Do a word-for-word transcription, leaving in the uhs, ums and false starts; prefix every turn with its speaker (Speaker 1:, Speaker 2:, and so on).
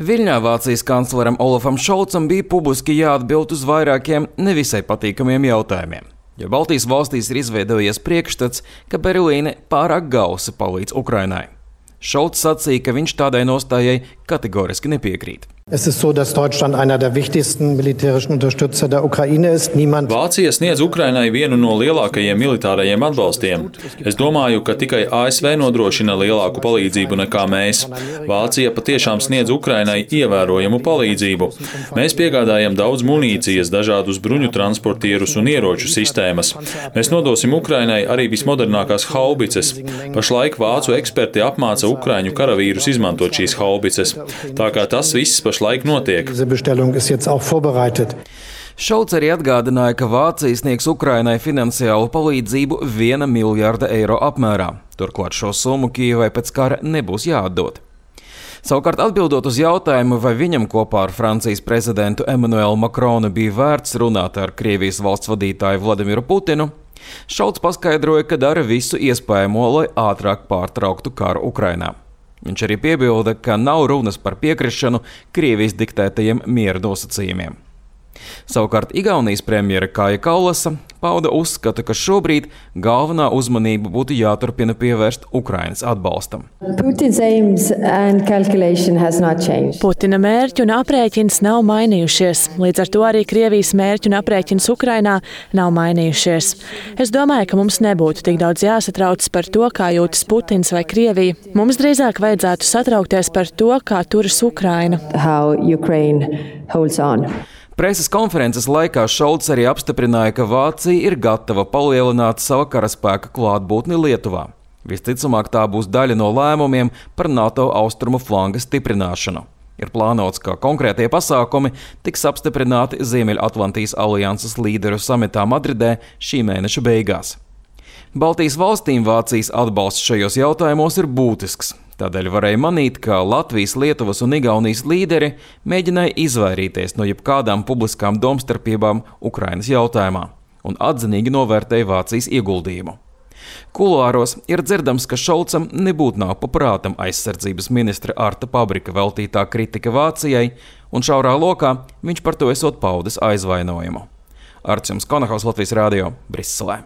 Speaker 1: Viļņā Vācijas kancleram Olafam Šolcam bija publiski jāatbild uz vairākiem nevisai patīkamiem jautājumiem. Jo Baltijas valstīs ir izveidojies priekšstats, ka Berlīne pārāk gausi palīdz Ukrainai. Šolcs sacīja, ka viņš tādai nostājai kategoriski nepiekrīt.
Speaker 2: Es ist so, dass Deutschland einer der wichtigsten militärischen Unterstützer der Ukraine ist. Niemand...
Speaker 3: Vācija sniedz Ukrainai vienu no lielākajiem militārajiem atbalstiem. Es domāju, ka tikai A S V nodrošina lielāku palīdzību nekā mēs. Vācija patiešām sniedz Ukrainai ievērojamu palīdzību. Mēs piegādājam daudz munīcijas, dažādus bruņu transportierus un ieroču sistēmas. Mēs nodosim Ukrainai arī vismodernākās haubices. Pašlaik vācu eksperti apmāca ukraiņu karavīrus izmantot šīs haubices. Tā kā tas viss pašlaik notiek.
Speaker 1: Šolts arī atgādināja, ka Vācija sniegs Ukrainai finansiālu palīdzību viena miljārda eiro apmērā. Turklāt šo summu Kijevai pēc kara nebūs jāatdod. Savukārt atbildot uz jautājumu, vai viņam kopā ar Francijas prezidentu Emmanuelu Macronu bija vērts runāt ar Krievijas valsts vadītāju Vladimiru Putinu, Šolts paskaidroja, ka dara visu iespējamo, lai ātrāk pārtrauktu karu Ukrainā. Viņš arī piebilda, ka nav runas par piekrišanu Krievijas diktētajiem miera nosacījumiem. Savukārt Igaunijas premjera Kaja Kallasa pauda uzskatu, ka šobrīd galvenā uzmanība būtu jāturpina pievērst Ukrainas atbalstam.
Speaker 4: Putina mērķi un aprēķins nav mainījušies. Līdz ar to arī Krievijas mērķi un aprēķins Ukrainā nav mainījušies. Es domāju, ka mums nebūtu tik daudz jāsatraucas par to, kā jūtas Putins vai Krievija. Mums drīzāk vajadzētu satraukties par to, kā turas Ukraina.
Speaker 1: Preses konferences laikā Šolts arī apstiprināja, ka Vācija ir gatava palielināt sava karaspēka klātbūtni Lietuvā. Visticamāk, tā būs daļa no lēmumiem par NATO austrumu flanga stiprināšanu. Ir plānots, ka konkrētie pasākumi tiks apstiprināti Ziemeļatlantijas alianses līderu samitā Madridē šī mēneša beigās. Baltijas valstīm Vācijas atbalsts šajos jautājumos ir būtisks. Tādēļ varēja manīt, ka Latvijas, Lietuvas un Igaunijas līderi mēģināja izvairīties no jebkādām publiskām domstarpībām Ukrainas jautājumā un atzinīgi novērtēja Vācijas ieguldījumu. Kuluāros ir dzirdams, ka Šolcam nebūtu nav paprātam aizsardzības ministra Arta Pabrika veltītā kritika Vācijai, un šaurā lokā viņš par to esot paudis aizvainojumu. Arts Jums Konahaus, Latvijas Rādio, Briselē.